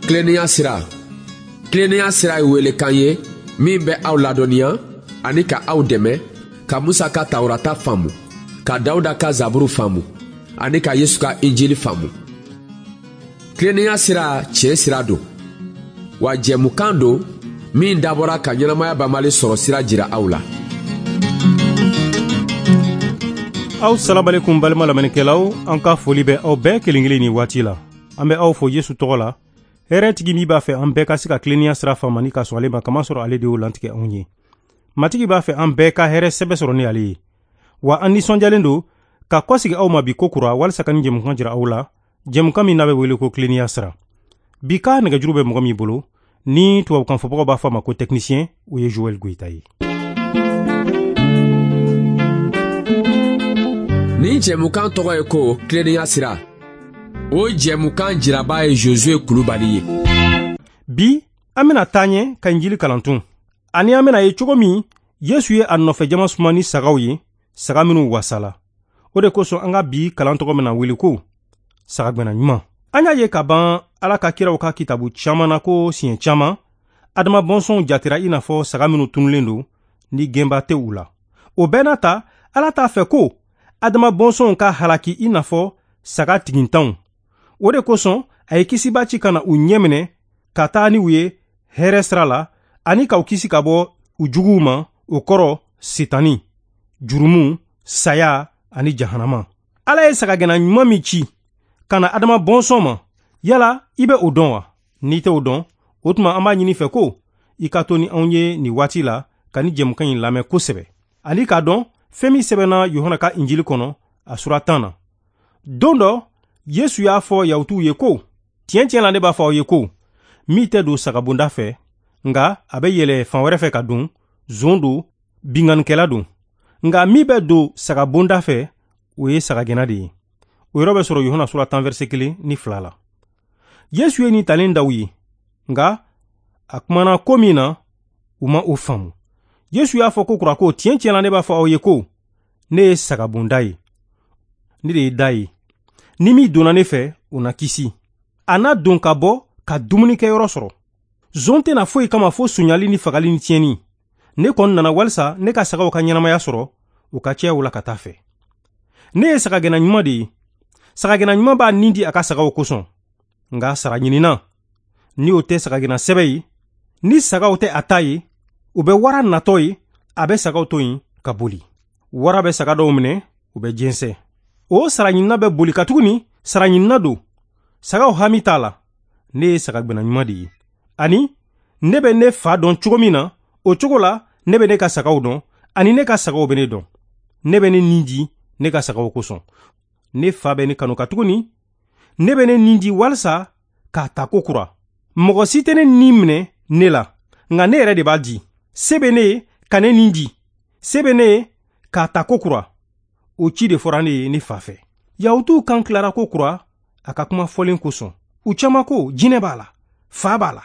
Tilennenya sira. Tilennenya sira ye welekan ye min bɛ aw ladɔnniya ani ka aw dɛmɛ ka Musa ka Tawurata faamu, ka Dawuda ka Zaburu faamu ani ka Yesu ka Injili faamu. Tilennenya sira tiɲɛ sira don, wa jɛmukan don min dabɔra ka ɲɛnamaya banbali sɔrɔ sira jira aw la. Aw salamalekum balima lamɛnnikɛlaw, an ka foli bɛ aw bɛɛ kelen kelen ni waati la. An bɛ aw fo Yesu tɔgɔ la. Hɛrɛ tigi min b'a fɛ an bɛɛ ka se ka tilennenya sira faamu ani ka sɔn ale ma, kamasɔrɔ ale de y'o lantigɛ anw ye. Matigi b'a fɛ an bɛɛ ka hɛrɛ sɛbɛ sɔrɔ ni ale ye. Wa an nisɔndiyalen don ka kɔsegi aw ma bi ko kura walisa ka nin jɛmukan jira aw la, jɛmukan min n'a bɛ wele ko tilennenya sira. Bi ka nɛgɛjuru bɛ mɔgɔ min bolo, ni tubabukan fɔbagaw b'a fɔ a ma ko technicien, o ye Joël Goïta ye. Nin jɛmukan tɔgɔ ye ko tilennenya sira. O jɛmukan jiraba ye Josué Kulubali ye. Bi an bɛna taa ɲɛ ka Injili kalan tun. Ani an bɛna ye cogo min Yesu ye a nɔfɛ jama suma ni sagaw ye, saga minnu wasala. O de kosɔn an ka bi kalan tɔgɔ bɛna wele ko sagagɛnna ɲuman. An y'a ye ka ban Ala ka kiraw ka kitabu caman na ko siɲɛ caman Adama bɔnsɔnw jatera i n'a fɔ saga minnu tununnen don ni gɛnba tɛ u la. O bɛɛ n'a ta, Ala t'a fɛ ko Adama bɔnsɔnw ka halaki i n'a fɔ saga tigintanw. O de kosɔn a ye kisiba ci ka na u ɲɛminɛ ka taa ni u ye hɛrɛ sira la ani k'u kisi ka bɔ u juguw ma, o kɔrɔ Sitani, jurumu, saya ani jahanama. Ala ye sagagɛnna ɲuman min ci ka na Adama bɔnsɔn ma, yala i bɛ o dɔn wa? N'i tɛ o dɔn, o tuma an b'a ɲini fɛ ko i ka to ni anw ye nin waati la ka ni jɛmukan in lamɛn kosɛbɛ, ani k'a dɔn fɛn min sɛbɛnna Yohana ka Injili kɔnɔ a sura 10 na. Don dɔ Yesu y'a fɔ Yahutuw ye ko, tiɲɛ tiɲɛ la ne b'a fɔ aw ye ko, min tɛ don sagabonda fɛ, nka a bɛ yɛlɛ fan wɛrɛ fɛ ka don, zon don, binkannikɛla don. Nka min bɛ don sagabonda fɛ, o ye sagagɛnna de ye. O yɔrɔ bɛ sɔrɔ Yohana sura 10 verset 1 ni 2 la. Yesu ye nin talen d'aw ye, nka a kumana ko min na, u ma o faamu. Yesu y'a fɔ ko kura ko, tiɲɛ tiɲɛ la ne b'a fɔ aw ye ko, ne ye sagabonda ye, ne de ye da ye. Ni min donna ne fɛ, o na kisi. A na don ka bɔ ka dumunikɛyɔrɔ sɔrɔ. Zon tɛna foyi kama fo sonyali ni fagali ni tiɲɛni. Ne kɔni nana walisa ne ka sagaw ka ɲɛnamaya sɔrɔ, u ka caya u la ka taa fɛ. Ne ye sagagɛnna ɲuman de ye. Sagagɛnna ɲuman b'a nin di a ka sagaw kosɔn. Nka sara ɲinina, ni o tɛ sagagɛnna sɛbɛ ye, ni sagaw tɛ a ta ye, u bɛ wara natɔ ye, a bɛ sagaw to yen ka boli. Wara bɛ saga dɔw minɛ, u bɛ jɛnsɛn. O sara ɲinina bɛ boli katuguni sara ɲinina don. Sagaw hami t'a la. Ne ye sagagɛnna ɲuman de ye. Ani ne bɛ ne fa dɔn cogo min na, o cogo la ne bɛ ne ka sagaw dɔn, ani ne ka sagaw bɛ ne dɔn. Ne bɛ ne nin di ne ka sagaw kosɔn. Ne fa bɛ ne kanu katuguni ne bɛ ne nin di walisa k'a ta ko kura. Mɔgɔ si tɛ ne nin minɛ ne la, nka ne yɛrɛ de b'a di. Se bɛ ne ye ka ne nin di, se bɛ ne ye k'a ta ko kura. O ci de fɔra ne ye ne fa fɛ. Yahutuw kan tilara ko kura a ka kuma fɔlen kosɔn. U caman ko jinɛ b'a la, fa b'a la.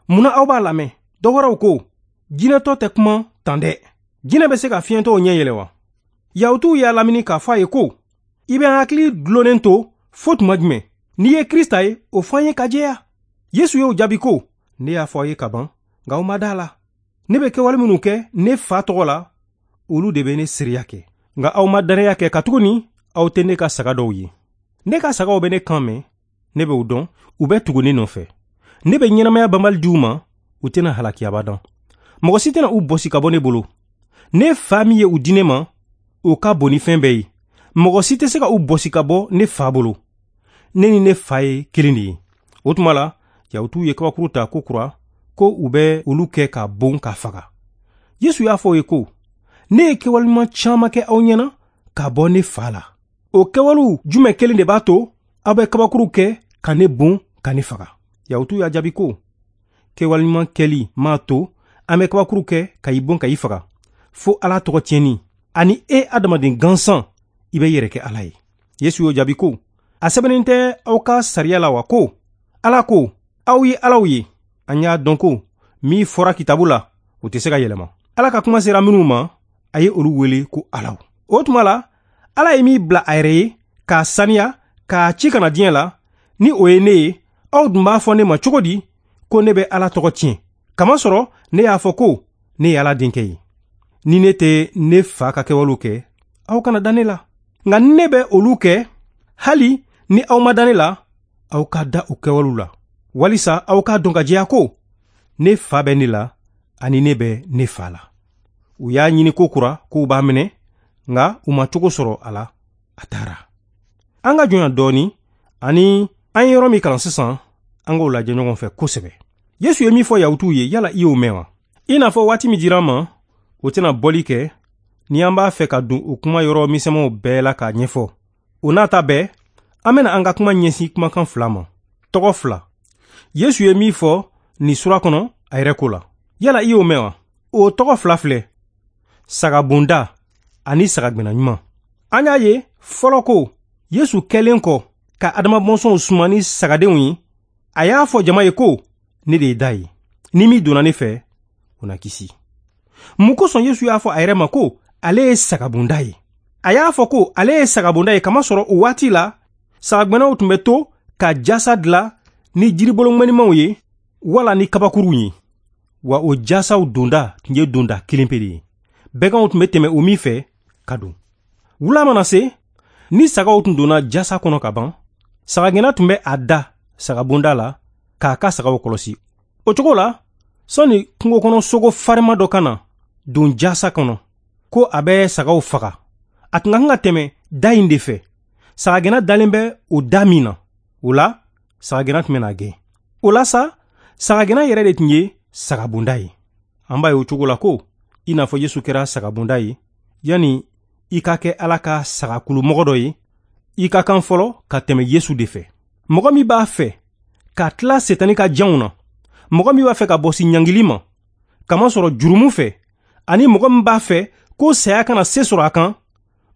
Munna aw b'a lamɛn? Dɔ wɛrɛw ko jinɛtɔ tɛ kuma tan dɛ. Jinɛ bɛ se ka fiɲɛtɔw ɲɛ yɛlɛ wa? Yahutuw y'a lamini k'a fɔ a ye ko, i bɛ an hakili dulonnen to fo tuma jumɛn? N'i ye Krista ye, o fɔ an ye ka jɛya. Yesu y'o jaabi ko, ne y'a fɔ aw ye ka ban, nka aw ma da a la. Ne bɛ kɛwale minnu kɛ ne fa tɔgɔ la, olu de bɛ ne seereya kɛ. Nka aw ma danaya kɛ katuguni aw tɛ ne ka saga dɔw ye. Ne ka sagaw bɛ ne kan mɛn, ne bɛ u dɔn, u bɛ tugu ne nɔfɛ. Ne bɛ ɲɛnamaya banbali di u ma, u tɛna halaki abadan. Mɔgɔ si tɛna u bɔsi ka bɔ ne bolo. Ne fa min ye u di ne ma, o ka bon ni fɛn bɛɛ ye. Mɔgɔ si tɛ se ka u bɔsi ka bɔ ne fa bolo. Ne ni ne fa ye kelen de ye. O tuma la, Yahutuw ye kabakuru ta ko kura, ko u bɛ olu kɛ ka bon ka faga. Yesu y'a fɔ u ye ko, ne ye kɛwale ɲuman caman kɛ aw ɲɛna ka bɔ ne fa la. O kɛwalew jumɛn kelen de b'a to aw bɛ kabakuru kɛ ka ne bon ka ne faga? Yahutuw y'a jaabi ko, kɛwale ɲuman kɛli m'a to an bɛ kabakuru kɛ ka i bon ka i faga, fo Ala tɔgɔ tiɲɛni. Ani e adamaden gansan, i bɛ yɛrɛ kɛ Ala ye. Yesu y'o jaabi ko, a sɛbɛnnen tɛ aw ka sariya la wa ko, Ala ko, aw ye alaw ye. An y'a dɔn ko min fɔra kitabu la, o tɛ se ka yɛlɛma. Ala ka kuma sera minnu ma, a ye olu wele ko alaw. O tuma la, Ala ye min bila a yɛrɛ ye k'a saniya, k'a ci ka na diɲɛ la, ni o ye ne ye, Aw dun b'a fɔ ne ma cogo di ko ne bɛ Ala tɔgɔ tiɲɛ, kamasɔrɔ ne y'a fɔ ko ne ye Ala denkɛ ye? Ni ne tɛ ne fa ka kɛwalew kɛ, aw kana da ne la. Nka ni ne bɛ olu kɛ, hali ni aw ma da ne la, aw ka da o kɛwalew la, walisa aw k'a dɔn ka jɛya ko ne fa bɛ ne la ani ne bɛ ne fa la. U y'a ɲini ko kura k'u b'a minɛ, nka u ma cogo sɔrɔ a la, a taara. An ka jɔnya dɔɔni ani an ye yɔrɔ min kalan sisan, an k'o lajɛ ɲɔgɔn fɛ kosɛbɛ. Yesu ye min fɔ Yahutuw ye, yala i y'o mɛn wa? I n'a fɔ waati min dira an ma, o tɛna bɔli kɛ ni an b'a fɛ ka don o kuma yɔrɔ misɛnmanw bɛɛ la k'a ɲɛfɔ. O n'a ta bɛɛ, an bɛna an ka kuma ɲɛsin kumakan fila ma, tɔgɔ fila. Yesu ye min fɔ nin sura kɔnɔ a yɛrɛ ko la, yala i y'o mɛn wa? O tɔgɔ fila filɛ, sagabonda ani sagagɛnna ɲuman. An y'a ye fɔlɔ ko Yesu kɛlen kɔ ka Adama bɔnsɔnw suma ni sagadenw ye, a y'a fɔ jama ye ko ne de ye da ye, ni min donna ne fɛ, o na kisi. Mun kosɔn Yesu y'a fɔ a yɛrɛ ma ko ale ye sagabonda ye? A y'a fɔ ko ale ye sagabonda ye kamasɔrɔ o waati la, sagagɛnnaw tun bɛ to ka jasa dilan ni jiribolo ŋɛnimanw ye wala ni kabakuruw ye. Wa o jasaw donda tun ye donda kelen pe de ye. Bɛganw tun bɛ tɛmɛ o min fɛ ka don. Wula mana se, ni sagaw tun donna jasa kɔnɔ ka ban, sagagɛnna tun bɛ a da sagabonda la k'a ka sagaw kɔlɔsi. O cogo la, sɔnni kungo kɔnɔ sogo farima dɔ ka na don jasa kɔnɔ ko a bɛ sagaw faga, a tun ka kan ka tɛmɛ da in de fɛ. Sagagɛnna dalen bɛ o da min na, o la sagagɛnna tun bɛna gɛn. O la sa, sagagɛnna yɛrɛ de tun ye sagabonda ye. An b'a ye o cogo la ko i n'a fɔ Yesu kɛra sagabonda ye, yanni i ka kɛ Ala ka sagakulumɔgɔ dɔ ye, i ka kan fɔlɔ ka tɛmɛ Yesu de fɛ. Mɔgɔ min b'a fɛ ka tila Setani ka janw na, mɔgɔ min b'a fɛ ka bɔsi ɲangili ma kamasɔrɔ jurumu fɛ, ani mɔgɔ min b'a fɛ ko saya kana se sɔrɔ a kan,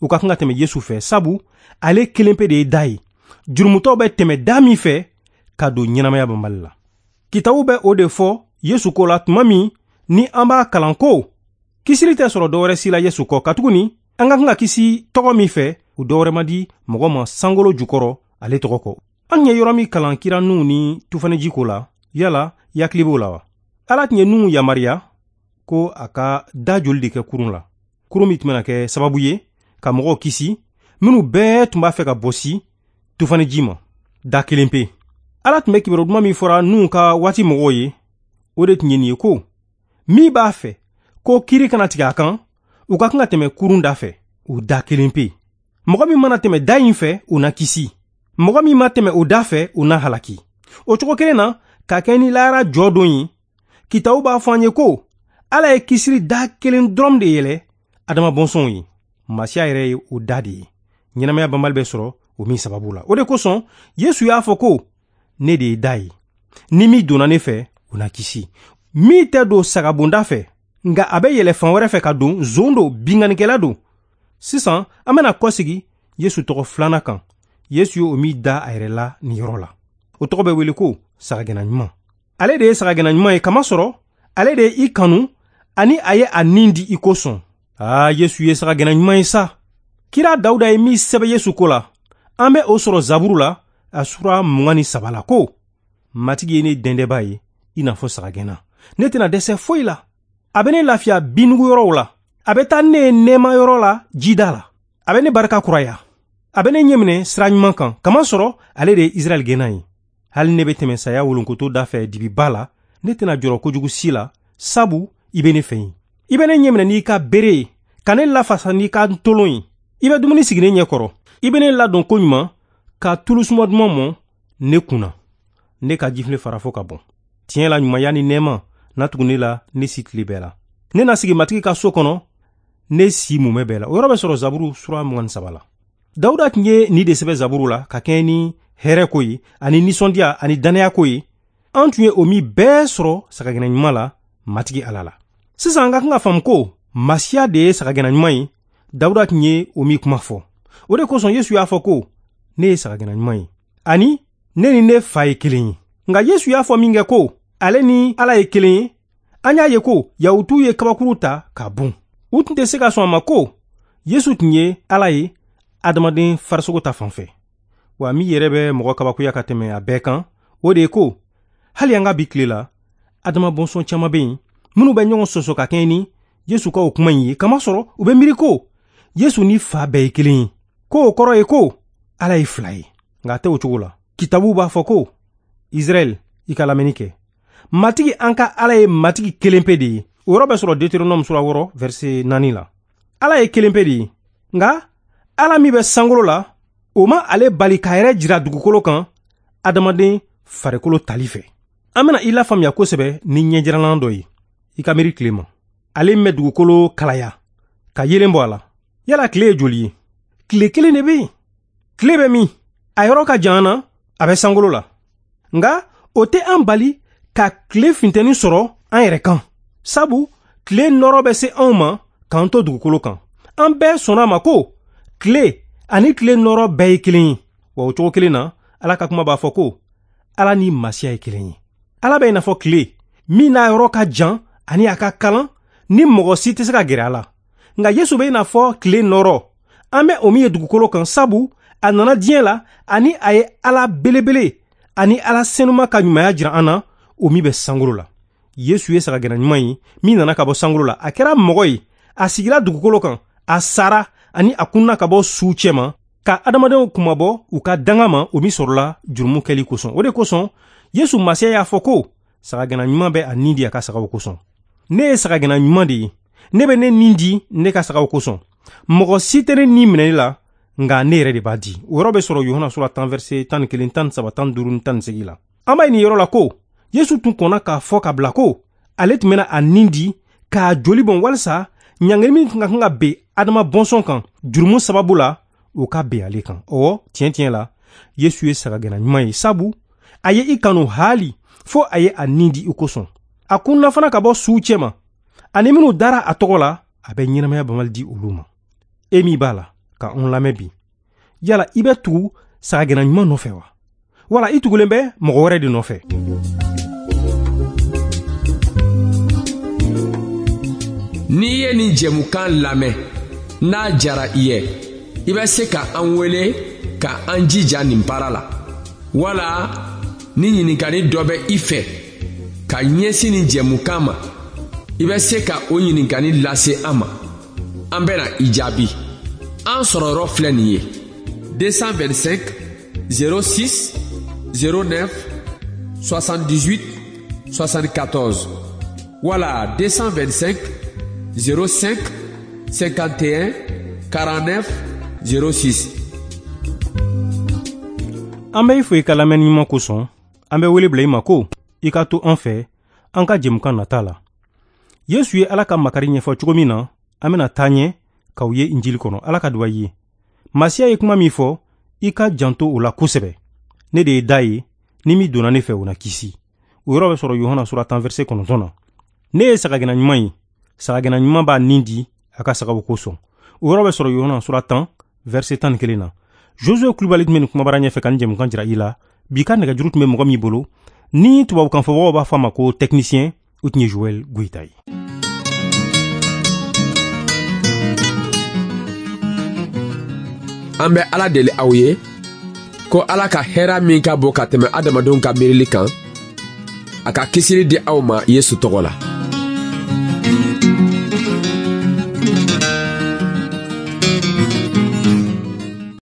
u ka kan ka tɛmɛ Yesu fɛ, sabu ale kelen pe de ye da ye. Jurumutɔw bɛ tɛmɛ da min fɛ ka don ɲɛnamaya banbali la. Kitabu bɛ o de fɔ Yesu ko la tuma min ni an b'a kalan ko kisili tɛ sɔrɔ dɔwɛrɛ si la Yesu kɔ, katuguni an ka kan ka kisi tɔgɔ min fɛ, o dɔwɛrɛ ma di mɔgɔ ma sankolo jukɔrɔ ale tɔgɔ kɔ. An ye yɔrɔ min kalan kira Nuhu ni tufaniji ko la, yala i hakili b'o la wa? Ala tun ye Nuhu yamaruya ko a ka da joli de kɛ kurun la, kurun min tun bɛna kɛ sababu ye ka mɔgɔw kisi minnu bɛɛ tun b'a fɛ ka bɔsi tufaniji ma, da kelen pe. Ala tun bɛ kibaru duman min fɔra Nuhu ka waati mɔgɔw ye, o de tun ye nin ye ko min b'a fɛ ko kiri kana tigɛ a kan, u ka kan ka tɛmɛ kurun da fɛ, o da kelen pe. Mɔgɔ min mana tɛmɛ da in fɛ, o na kisi. Mɔgɔ min ma tɛmɛ o da fɛ, o na halaki. O cogo kelen na, ka kɛ ni lahara jɔ don ye, kitabu b'a fɔ an ye ko Ala ye kisili da kelen dɔrɔn de yɛlɛ Adama bɔnsɔnw ye. Masiya yɛrɛ ye o da de ye. Ɲɛnamaya banbali bɛ sɔrɔ o min sababu la. O de kosɔn Yesu y'a fɔ ko ne de ye da ye. Ni min donna ne fɛ, o na kisi. Min tɛ don sagabonda fɛ, nka a bɛ yɛlɛ fan wɛrɛ fɛ ka don, zon don, binkannikɛla don. Sisan an bɛna kɔsegi Yesu tɔgɔ filanan kan. Yesu ye o min da a yɛrɛ la nin yɔrɔ la. O tɔgɔ bɛ wele ko sagagɛnna ɲuman. Ale de ye sagagɛnna ɲuman ye kamasɔrɔ ale de ye i kanu ani a ye a nin di i kosɔn. Aa, Yesu ye sagagɛnna ɲuman ye sa. Kira Dawuda ye min sɛbɛn Yesu ko la, an bɛ o sɔrɔ Zaburu la, a sura 23 la ko Matigi ye ne dɛndɛba ye i n'a fɔ sagagɛnna. Ne tɛna dɛsɛ foyi la. A bɛ ne lafiya binnugu yɔrɔw la. A bɛ taa ne ye nɛɛma yɔrɔ la jida la. A bɛ ne barika kuraya. A bɛ ne ɲɛminɛ sira ɲuman kan, kamasɔrɔ ale de ye Israɛl gɛnna ye. Hali ne bɛ tɛmɛ saya wolonkoto da fɛ dibiba la, ne tɛna jɔrɔ kojugu si la, sabu i bɛ ne fɛ yen. I bɛ ne ɲɛminɛ n'i ka bere ye, ka ne lafasa n'i ka ntolon ye. I bɛ dumuni sigi ne ɲɛkɔrɔ. I bɛ ne ladon koɲuman ka tulu suma duman mɔn ne kun na. Ne ka jifilen fara fo ka bɔn. Tiɲɛ la ɲumanya ni nɛɛma na tugu ne la ne si tile bɛɛ la. Ne na sigi Matigi ka so kɔnɔ ne si mumɛ bɛɛ la. O yɔrɔ bɛ sɔrɔ Zaburu sura 23 la. Dawuda tun ye nin de sɛbɛn Zaburu la ka kɛɲɛ ni hɛrɛ ko ye ani nisɔndiya ani dannaya ko ye. An tun ye o min bɛɛ sɔrɔ sagagɛnna ɲuman la Matigi Ala la. Sisan an ka kan ka faamu ko Masiya de ye sagagɛnna ɲuman ye. Dawuda tun ye o min kuma fɔ. O de kosɔn Yesu y'a fɔ ko ne ye sagagɛnna ɲuman ye ani ne ni ne fa ye kelen ye. Nka Yesu y'a fɔ min kɛ ko ale ni Ala ye kelen ye, an y'a ye ko Yahutuw ye kabakuru ta k'a bon. U tun tɛ se ka sɔn a ma ko Yesu tun ye Ala ye adamaden farisogo ta fan fɛ. Wa min yɛrɛ bɛ mɔgɔ kabakoya ka tɛmɛ a bɛɛ kan, O de ye ko hali an ka bi tile la, adama bɔnsɔn caman bɛ yen minnu bɛ ɲɔgɔn sɔsɔ ka kɛɲɛ ni Yesu ka o kuma in ye, kamasɔrɔ u bɛ miiri ko Yesu ni Fa bɛɛ ye kelen ye, ko o kɔrɔ ye ko Ala ye fila ye. Nka a tɛ o cogo la. Kitabu b'a fɔ ko Israɛl, i ka lamɛnni kɛ. Matigi an ka Ala ye Matigi kelen pe de ye. O yɔrɔ bɛ sɔrɔ Deutéronome sura 6 verset 4 la. Ala ye kelen pe de ye. Nka Ala min bɛ sankolo la, o ma ale bali k'a yɛrɛ jira dugukolo kan adamaden farikolo tali fɛ. An bɛna i lafaamuya kosɛbɛ ni ɲɛjiralan dɔ ye. I ka miiri tile ma. Ale min bɛ dugukolo kalaya ka yeelen bɔ a la. Yala tile ye joli ye? Tile kelen de bɛ yen. Tile bɛ min? A yɔrɔ ka jan an na, a bɛ sankolo la. Nka o tɛ an bali ka tile funteni sɔrɔ an yɛrɛ kan. Sabu tile nɔrɔ bɛ se anw ma k'an to dugukolo kan. An bɛɛ sɔnna a ma ko tile ani tile nɔrɔ bɛɛ ye kelen ye. Wa o cogo kelen na, Ala ka kuma b'a fɔ ko Ala ni Masiya ye kelen ye. Ala bɛ i n'a fɔ tile min n'a yɔrɔ ka jan ani a ka kalan ni mɔgɔ si tɛ se ka gɛrɛ a la. Nka Yesu bɛ i n'a fɔ tile nɔrɔ, an bɛ o min ye dugukolo kan, sabu a nana diɲɛ la ani a ye Ala belebele ani Ala senuma ka ɲumanya jira an na, o min bɛ sankolo la. Yesu ye sagagɛnna ɲuman ye min nana ka bɔ sankolo la. A kɛra mɔgɔ ye, a sigira dugukolo kan, a sara ani a kunna ka bɔ suw cɛma ka adamadenw kunmabɔ u ka danga ma, o min sɔrɔla jurumu kɛli kosɔn. O de kosɔn Yesu Masiya y'a fɔ ko sagagɛnna ɲuman bɛ a nin di a ka sagaw kosɔn. Ne ye sagagɛnna ɲuman de ye. Ne bɛ ne nin di ne ka sagaw kosɔn. Mɔgɔ si tɛ ne nin minɛ ne la, nka ne yɛrɛ de b'a di. O yɔrɔ bɛ sɔrɔ Yohana sura 10 verset 11, 13, 15 ni 18 la. An b'a ye nin yɔrɔ la ko Yesu tun kɔnna k'a fɔ ka bila ko ale tun bɛna a nin di k'a joli bɔn walisa ɲangili min tun ka kan ka ben Adama bɔnsɔn kan jurumu sababu la, o ka ben ale kan. Ɔwɔ, tiɲɛ tiɲɛ la, Yesu ye sagagɛnna ɲuman ye, sabu a ye i kanu haali fo a ye a nin di i kosɔn. A kunna fana ka bɔ suw cɛma, ani minnu dara a tɔgɔ la, a bɛ ɲɛnamaya banbali di olu ma. E min b'a la ka anw lamɛn bi, yala i bɛ tugu sagagɛnna ɲuman nɔfɛ wa? Wala i tugulen bɛ mɔgɔ wɛrɛ de nɔfɛ? N'i ye nin jɛmukan lamɛn, n'a jara i ye, i bɛ se ka an wele ka an jija nin baara la. Wala ni ɲininkali dɔ bɛ i fɛ ka ɲɛsin nin jɛmukan ma, i bɛ se ka o ɲininkali lase an ma. An bɛna i jaabi. An sɔrɔ yɔrɔ filɛ nin ye: 225 06 09 78 74 wala 225 05 51 49 06. An bɛ i fo i ka lamɛnni ɲuman kosɔn. An bɛ wele bila i ma ko i ka to an fɛ an ka jɛmukan nata la. Yesu ye Ala ka makari ɲɛfɔ cogo min na, an bɛna taa ɲɛ k'aw ye Injili kɔnɔ. Ala ka duba i ye. Masiya ye kuma min fɔ, i ka janto o la kosɛbɛ. Ne de ye da ye, ni min donna ne fɛ, o na kisi. O yɔrɔ bɛ sɔrɔ Yohana sura 10 verset 9 na. Ne ye sagagɛnna ɲuman ye. Sagagɛnna ɲuman b'a nin di a ka sagaw kosɔn. O yɔrɔ bɛ sɔrɔ Yohana sura 10 verset 11 na. Josué Kulubali tun bɛ nin kumabara ɲɛfɛ ka nin jɛmukan jira i la. Bi ka nɛgɛjuru tun bɛ mɔgɔ min bolo, ni tubabukan fɔbagaw b'a fɔ a ma ko technicien, o tun ye Joël Goïta ye. An bɛ Ala deli aw ye ko Ala ka hɛra min ka bon ka tɛmɛ adamadenw ka miirili kan, a ka kisili di aw ma Yesu tɔgɔ la.